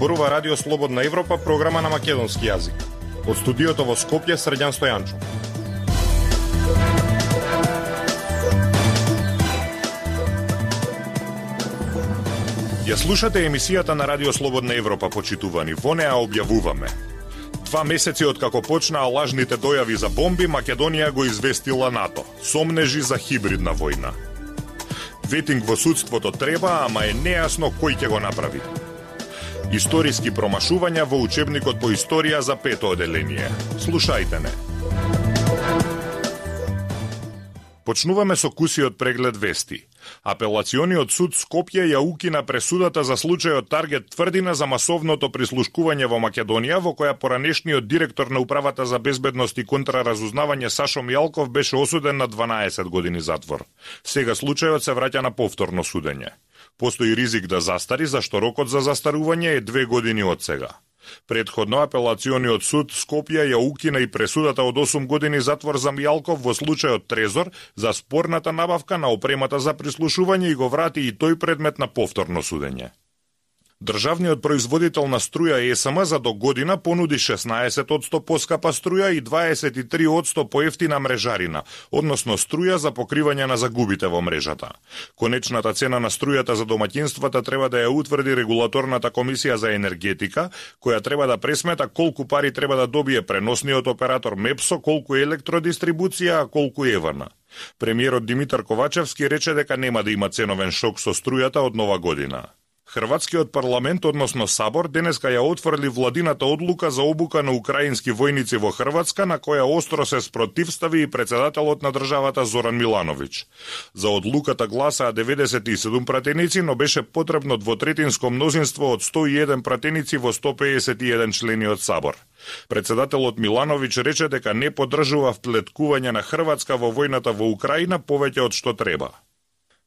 зборува Радио Слободна Европа, програма на македонски јазик. Од студиото во Скопје, Срđan Стојанчов. Ја слушате емисијата на Радио Слободна Европа, почитувани. Во неа објавуваме: 2 месеци откако почнаа лажните дојави за бомби, Македонија го известила НАТО. Сомнежи за хибридна војна. Ветинг во судството треба, ама е нејасно кој ќе го направи. Историски промашувања во учебникот по историја за 5-то оделение. Слушајте не. Почнуваме со кусиот преглед вести. Апелациониот суд Скопје ја укина пресудата за случајот Таргет Тврдина за масовното прислушкување во Македонија, во која поранешниот директор на Управата за безбедност и контраразузнавање Сашо Мијалков беше осуден на 12 години затвор. Сега случајот се враќа на повторно судење. Постои ризик да застари, зашто рокот за застарување е 2 години од сега. Предходно апелациониот суд Скопје ја укина и пресудата од 8 години затвор за Мијалков во случајот Трезор за спорната набавка на опремата за прислушување и го врати и тој предмет на повторно судење. Државниот производител на струја ЕСМ за до година понуди 16% поскапа струја и 23% поевтина мрежарина, односно струја за покривање на загубите во мрежата. Конечната цена на струјата за домаќинствата треба да ја утврди регулаторната комисија за енергетика, која треба да пресмета колку пари треба да добие преносниот оператор МЕПСО, колку електродистрибуција, а колку ЕВН. Премиерот Димитар Ковачевски рече дека нема да има ценовен шок со струјата од нова година. Хрватскиот парламент, односно Сабор, денеска ја отфрли владината одлука за обука на украински војници во Хрватска, на која остро се спротивстави и председателот на државата Зоран Милановиќ. За одлуката гласаа 97 пратеници, но беше потребно двотретинско мнозинство од 101 пратеници во 151 члени од Сабор. Председателот Милановиќ рече дека не поддржува вплеткување на Хрватска во војната во Украина повеќе од што треба.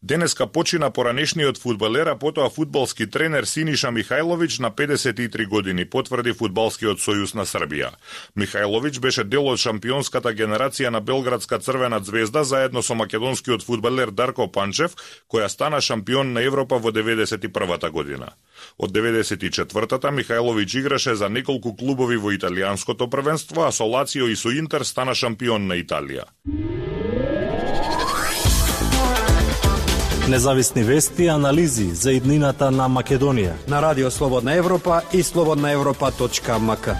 Денеска почина поранешниот фудбалер, а потоа фудбалски тренер Синиша Михајловиќ на 53 години, потврди Фудбалскиот сојуз на Србија. Михајловиќ беше дел од шампионската генерација на Белградска Црвена ѕвезда заедно со македонскиот фудбалер Дарко Панчев, која стана шампион на Европа во 91-та година. Од 94-та Михајловиќ играше за неколку клубови во италијанското првенство, а со Лацио и со Интер стана шампион на Италија. Независни вести и анализи за иднината на Македонија на Радио Слободна Европа и slobodnaevropa.mk.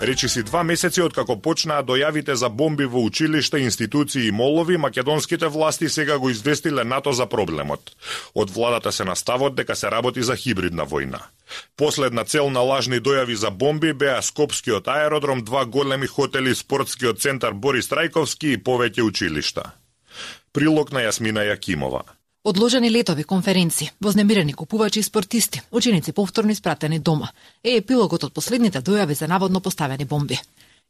Речиси 2 месеци откако почнаа дојавите за бомби во училишта, институции и молови, македонските власти сега го известиле НАТО за проблемот. Од владата се наставот дека се работи за хибридна војна. Последна цел на лажни дојави за бомби беа Скопскиот аеродром, 2 големи хотели, спортскиот центар Борис Трајковски и повеќе училишта. Прилог на Јасмина Јакимова. Одложени летови, конференции, вознемирени купувачи и спортисти, ученици повторно испратени дома, е епилогот од последните дојави за наводно поставени бомби.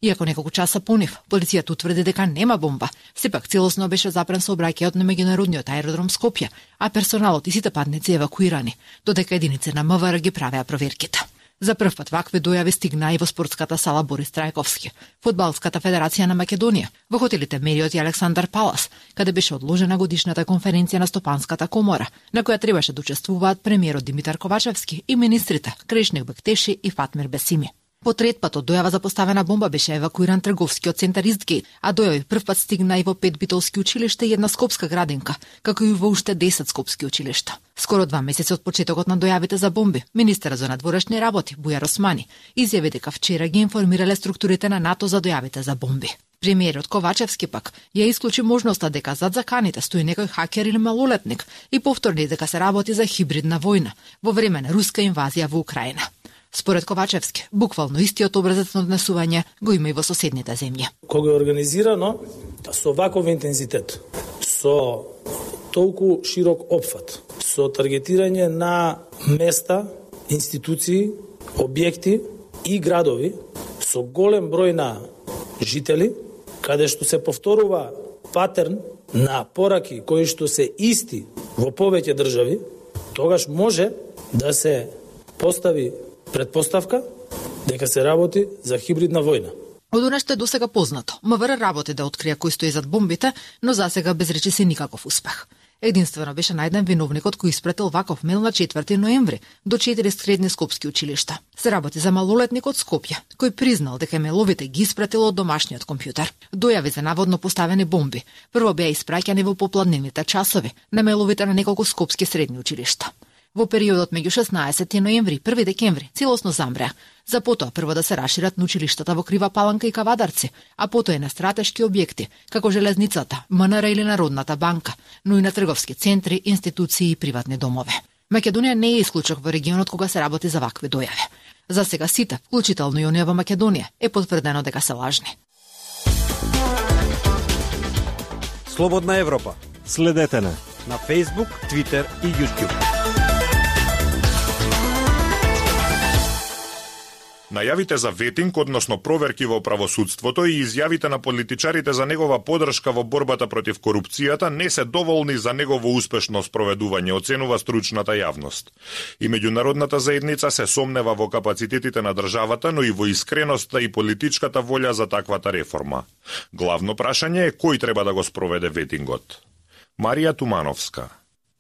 Иако неколку часа по нив, полицијата утврди дека нема бомба, сепак целосно беше запрен сообраќајот на меѓународниот аеродром Скопје, а персоналот и сите патници евакуирани, додека единици на МВР ги правеа проверките. За прв пат вакви дојави стигнаа и во спортската сала Борис Трајковски, Фудбалската федерација на Македонија, во хотелите Мериот и Александар Палас, каде беше одложена годишната конференција на Стопанската комора, на која требаше да учествуваат премиерот Димитар Ковачевски и министрите Крешник Бектеши и Фатмир Бесими. По трет пат од дојава за поставена бомба беше евакуиран трговскиот центар Истгейт, а дојави прв пат стигна и во 5 битолски училишта и една скопска градинка, како и во уште 10 скопски училишта. Скоро 2 месеци од почетокот на дојавите за бомби, министерот за надворешни работи Бујар Османи изјави дека вчера ги информирале структурите на НАТО за дојавите за бомби. Премиерот Ковачевски пак ја исклучи можноста дека зад заканите стои некој хакер или малолетник и повторни дека се работи за хибридна војна во време на руска инвазија во Украина. Според Ковачевски, буквално истиот образец на однесување го има и во соседните земји. Кога е организирано со ваков интензитет, со толку широк опфат, со таргетирање на места, институции, објекти и градови, со голем број на жители, каде што се повторува патерн на пораки кои што се исти во повеќе држави, тогаш може да се постави предпоставка дека се работи за хибридна војна. Од она што е досега познато, МВР работи да открие кој стои зад бомбите, но засега без речиси никаков успех. Единствено беше најден виновникот кој испратил ваков мејл на 4 ноември до 4 средни скопски училишта. Се работи за малолетник од Скопје, кој признал дека мејловите ги испратил од домашниот компјутер. Дојави за наводно поставени бомби прво беа испраќани во попладневните часови на мејловите на неколку скопски средни училишта. Во периодот меѓу 16 ноември и 1 декември целосно замреа, за потоа прво да се рашират на училиштата во Крива Паланка и Кавадарци, а потоа и на стратешки објекти, како железницата, МНР или Народната банка, но и на трговски центри, институции и приватни домове. Македонија не е исклучок во регионот кога се работи за вакви дојави. За сега сите, вклучително и оние во Македонија, е потврдено дека се лажни. Слободна Европа. Следете на Facebook, Twitter и YouTube. Најавите за ветинг, односно проверки во правосудството и изјавите на политичарите за негова подршка во борбата против корупцијата не се доволни за негово успешно спроведување, оценува стручната јавност. И меѓународната заедница се сомнева во капацитетите на државата, но и во искреноста и политичката волја за таквата реформа. Главно прашање е кој треба да го спроведе ветингот. Марија Тумановска.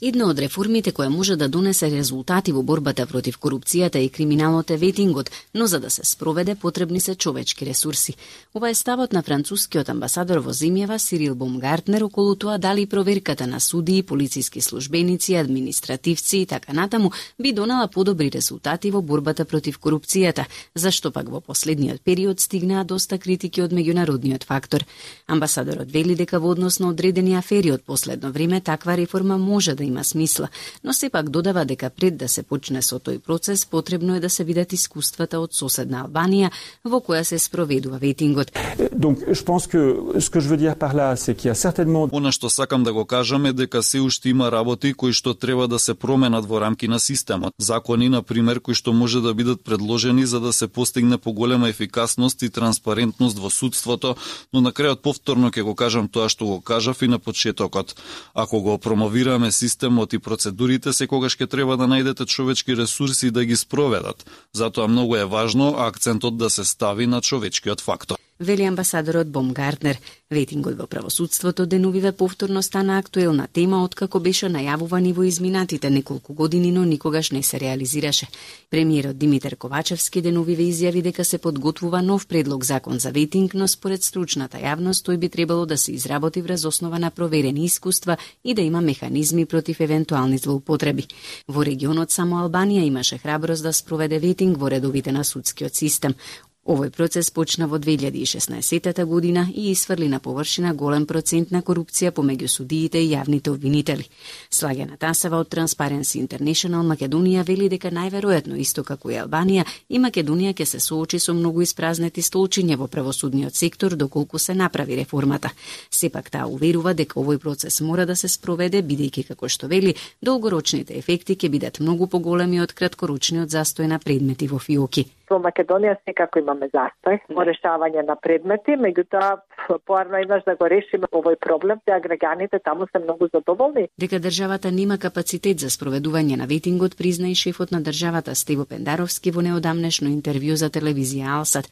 Една од реформите која може да донесе резултати во борбата против корупцијата и криминалот е ветингот, но за да се спроведе потребни се човечки ресурси. Ова е ставот на францускиот амбасадор во земјава Сирил Бомгартнер околу тоа дали проверката на судии, полициски службеници, административци и така натаму би донела подобри резултати во борбата против корупцијата, зашто пак во последниот период стигнаа доста критики од меѓународниот фактор. Амбасадорот вели дека во однос на одредени афери од последно време таква реформа може да има смисла, но сепак додава дека пред да се почне со тој процес потребно е да се видат искуствата од соседна Албанија во која се спроведува ветингот. Donc je pense que ce que je veux dire par là c'est qu'il y a certainement Она што сакам да го кажам е дека се уште има работи кои што треба да се променат во рамки на системот. Закони на пример кои што може да бидат предложени за да се постигне поголема ефикасност и транспарентност во судството, но на крајот повторно ќе го кажам тоа што го кажав и на почетокот. Ако го промовираме системот и процедурите, секогаш ќе треба да најдете човечки ресурси да ги спроведат. Затоа многу е важно акцентот да се стави на човечкиот фактор. Вели амбасадорот Бомгартнер. Ветингот во правосудството деновиве повторно стана актуелна тема откако беше најавувани во изминатите неколку години, но никогаш не се реализираше. Премиерот Димитар Ковачевски деновиве изјави дека се подготвува нов предлог закон за ветинг, но според стручната јавност тој би требало да се изработи врз основа на проверени искуства и да има механизми против евентуални злоупотреби. Во регионот само Албанија имаше храброст да спроведе ветинг во редовите на судскиот систем. Овој процес почна во 2016 година и исфрли на површина голем процент на корупција помеѓу судиите и јавните обвинители. Слагена Тасева од Transparency International Македонија вели дека најверојатно исто како и Албанија и Македонија ќе се соочи со многу испразнети столчиња во правосудниот сектор доколку се направи реформата. Сепак таа уверува дека овој процес мора да се спроведе бидејќи како што вели долгорочните ефекти ќе бидат многу поголеми од краткорочниот застој на предмети во фиоки. Во Македонија секако имаме застој во решавање на предмети, меѓутоа поарно еднаш да го решиме овој проблем, теа граѓаните таму се многу задоволни. Дека државата нема капацитет за спроведување на ветингот призна и шефот на државата Стево Пендаровски во неодамнешно интервју за телевизија Алсат.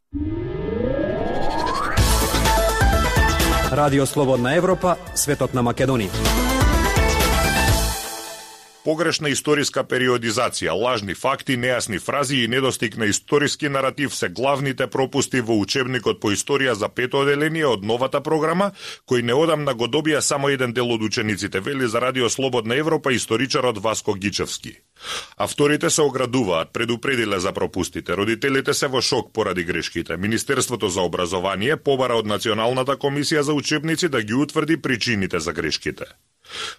Радио Слободна Европа, светот на Македонија. Погрешна историска периодизација, лажни факти, нејасни фрази и недостиг на историски наратив се главните пропусти во учебникот по историја за пето оделение од новата програма, кој неодамна го добија само еден дел од учениците, вели за Радио Слободна Европа историчарот Васко Гичевски. Авторите се оградуваат, предупредиле за пропустите, родителите се во шок поради грешките. Министерството за образование побара од Националната комисија за учебници да ги утврди причините за грешките.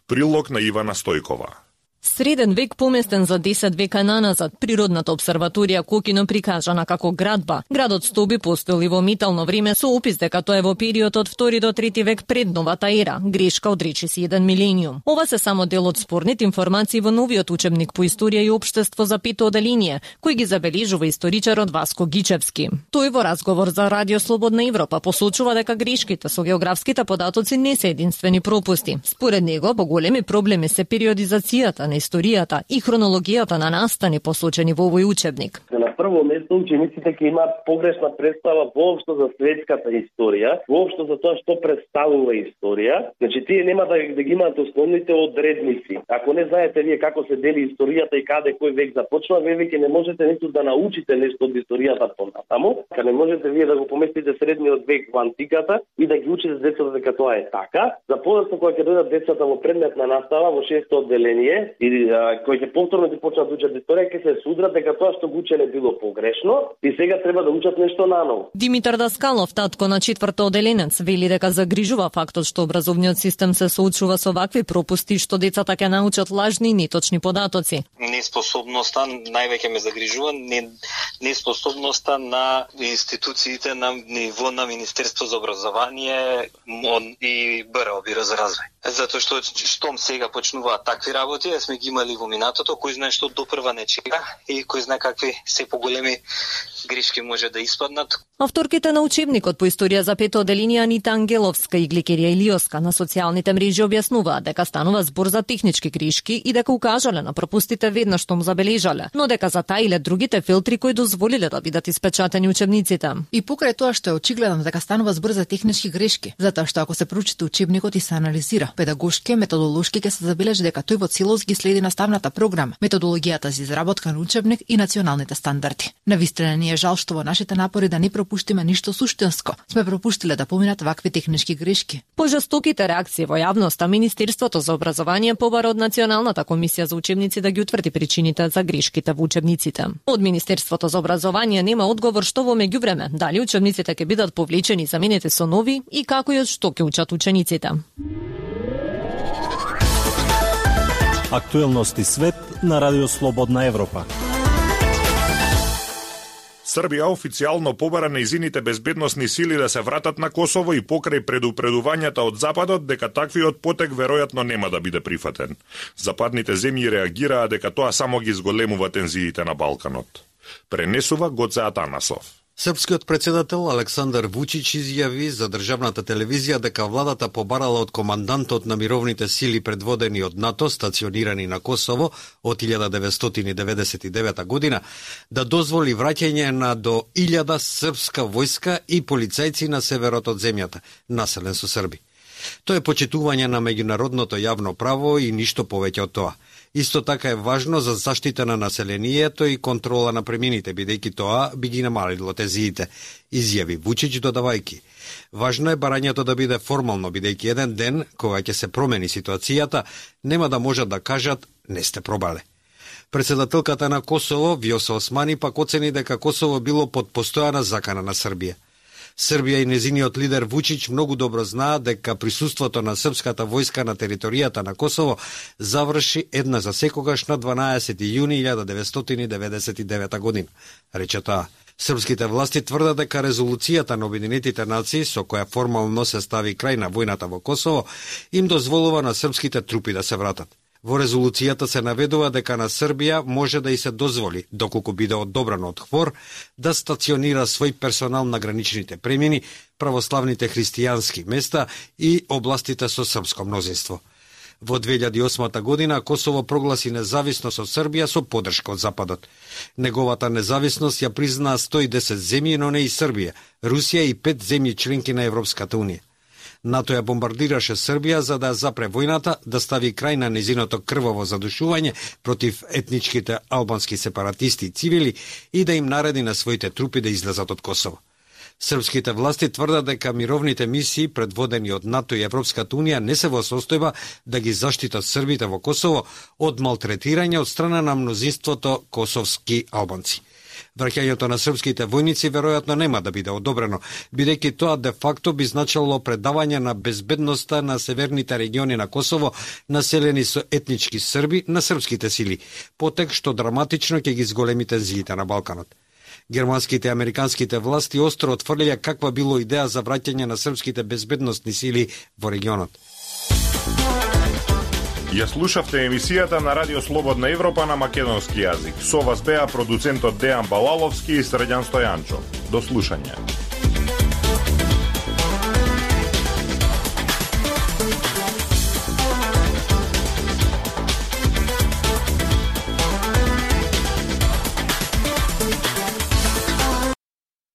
Прилог на Ивана Стојкова. Среден век поместен за 10 века наназад, природната обсерваторија Кокино прикажана како градба. Градот Стоби постоел и во митално време со опис дека тоа е во период од 2 до 3 век пред новата ера, грешка од речиси 1 милениум. Ова се само дел од спорните информации во новиот учебник по историја и општество за пето оделение, кој ги забележува историчарот Васко Гичевски. Тој во разговор за Радио Слободна Европа посочува дека грешките со географските податоци не се единствени пропусти. Според него, поголеми проблеми се периодизацијата, на историјата и хронологијата на настани посочени во овој учебник. На прво место учениците ќе имаат погрешна представа воопшто за светската историја, воопшто за тоа што представува историја. Значи тие нема да ги имаат основните одредници. Ако не знаете вие како се дели историјата и каде кој век започнува, вие веќе не можете ниту да научите нешто од историјата понатаму, кога не можете вие да го поместите средниот век во антиката и да ги учите децата дека тоа е така. За подоцна кога ќе дојдат децата во предметна настава во 6-то одделение и кои ќе повторно да почнат да учат историја, ќе се судрат дека тоа што го учеле било погрешно и сега треба да учат нешто наново. Димитар Даскалов, татко на 4-то одделенец, вели дека загрижува фактот што образовниот систем се соочува со вакви пропусти што децата ќе научат лажни и неточни податоци. Неспособноста највеќе ме загрижува, неспособноста на институциите на ниво на Министерство за образование и БРО, Биро за развој. Затоа што штом сега почнуваат такви работи, сме ги имали во минатото, кој знае што допрва не чека и кој знае какви се поголеми грешки може да испаднат. Авторките на учебникот по историја за 5-то одделение Анита Ангеловска и Гликерија Илиоска на социјалните мрежи објаснуваат дека станува збор за технички грешки и дека укажале на пропустите веднаш што му забележале, но дека затаиле другите филтри кои дозволиле да бидат испечатени учебниците. И покрај тоа што е очигледно дека станува збор за технички грешки, затоа што ако се прочита учебникот и се анализира педагошки, методолошки, ќе се забележи дека тој во целост ги следи наставната програма, методологијата за изработка на учебник и националните стандарди. Навистина ни е жал што во нашите напори да не пропуштиме ништо суштинско, сме пропуштиле да поминат вакви технички грешки. По жестоките реакции во јавноста, Министерството за образование побара од Националната комисија за учебници да ги утврди причините за грешките во учебниците. Од Министерството за образование нема одговор што во меѓувреме, дали учебниците ќе бидат повлечени и заменети со нови и како и од што ќе учат учениците. Актуелности свет на Радио Слободна Европа. Србија официјално побара нејзините безбедносни сили да се вратат на Косово и покрај предупредувањата од Западот дека таквиот потек веројатно нема да биде прифатен. Западните земји реагираа дека тоа само ги зголемува тензиите на Балканот. Пренесува Гоце Атанасов. Српскиот председател Александар Вучич изјави за државната телевизија дека владата побарала од командантот на мировните сили предводени од НАТО, стационирани на Косово од 1999 година, да дозволи враќање на до 1000 српска војска и полицајци на северот од земјата, населен со срби. Тоа е почитување на меѓународното јавно право и ништо повеќе од тоа. Исто така е важно за заштита на населението и контрола на премините, бидејќи тоа би ги намалило тензиите, изјави Вучич додавајќи. Важно е барањето да биде формално, бидејќи еден ден, кога ќе се промени ситуацијата, нема да можат да кажат не сте пробале. Председателката на Косово, Вјоса Османи, пак оцени дека Косово било под постојана закана на Србија. Србија и незиниот лидер Вучич многу добро знаат дека присуството на српската војска на територијата на Косово заврши една за секогаш на 12 јуни 1999 година, рече таа. Српските власти тврдат дека резолуцијата на Обединетите нации, со која формално се стави крај на војната во Косово, им дозволува на српските трупи да се вратат. Во резолуцијата се наведува дека на Србија може да и се дозволи, доколку биде одобрано од ХВОР, да стационира свој персонал на граничните премини, православните христијански места и областите со српско мнозинство. Во 2008 година Косово прогласи независност од Србија со поддршка од Западот. Неговата независност ја признаа 110 земји, но не и Србија, Русија и 5 земји членки на Европската унија. НАТО ја бомбардираше Србија за да запре војната, да стави крај на незиното крваво задушување против етничките албански сепаратисти и цивили и да им нареди на своите трупи да излезат од Косово. Српските власти тврдат дека мировните мисии предводени од НАТО и Европската унија не се во состојба да ги заштитат србите во Косово од малтретирање од страна на мнозинството косовски албанци. Враќањето на српските војници веројатно нема да биде одобрено, бидејќи тоа де факто би значило предавање на безбедноста на северните региони на Косово, населени со етнички срби, на српските сили, потек што драматично ќе ги зголеми тензиите на Балканот. Германските и американските власти остро отфрлија каква било идеја за враќање на српските безбедносни сили во регионот. Ја слушавте емисијата на Радио Слободна Европа на македонски јазик. Со вас беа продуцентот Дејан Балаловски и Срđan Стојанчов. До слушање.